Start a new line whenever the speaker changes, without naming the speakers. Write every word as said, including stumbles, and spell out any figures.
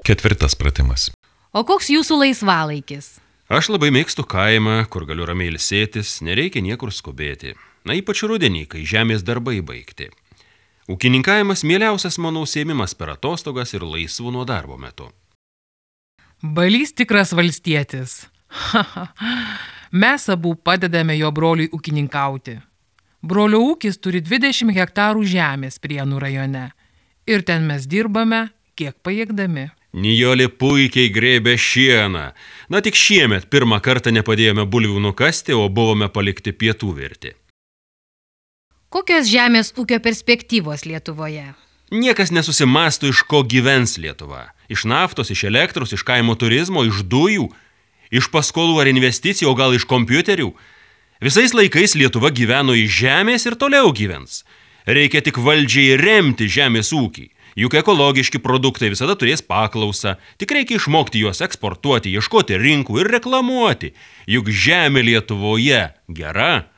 Ketvirtas pratimas.
O koks jūsų laisvalaikis?
Aš labai mėgstu kaimą, kur galiu ramiai ilsėtis, nereikia niekur skubėti. Na, ypač rudenį, kai žemės darbai baigti. Ūkininkavimas mieliausias mano užsiėmimas per atostogas ir laisvų nuo darbo metu.
Balys tikras valstietis. Mes abu padedame jo broliui ūkininkauti. Brolio ūkis turi dvidešimt hektarų žemės Prienų rajone. Ir ten mes dirbame, kiek pajėgdami.
Nijolė puikiai grėbė šieną. Na, tik šiemet pirmą kartą nepadėjome bulvių nukasti, o buvome palikti pietų virti.
Kokios žemės ūkio perspektyvos Lietuvoje?
Niekas nesusimąsto, iš ko gyvens Lietuva. Iš naftos, iš elektros, iš kaimo turizmo, iš dujų, iš paskolų ar investicijų, o gal iš kompiuterių. Visais laikais Lietuva gyveno iš žemės ir toliau gyvens. Reikia tik valdžiai remti žemės ūkį. Juk ekologiški produktai visada turės paklausą, tik reikia išmokti juos eksportuoti, ieškoti rinkų ir reklamuoti. Juk žemė Lietuvoje gera.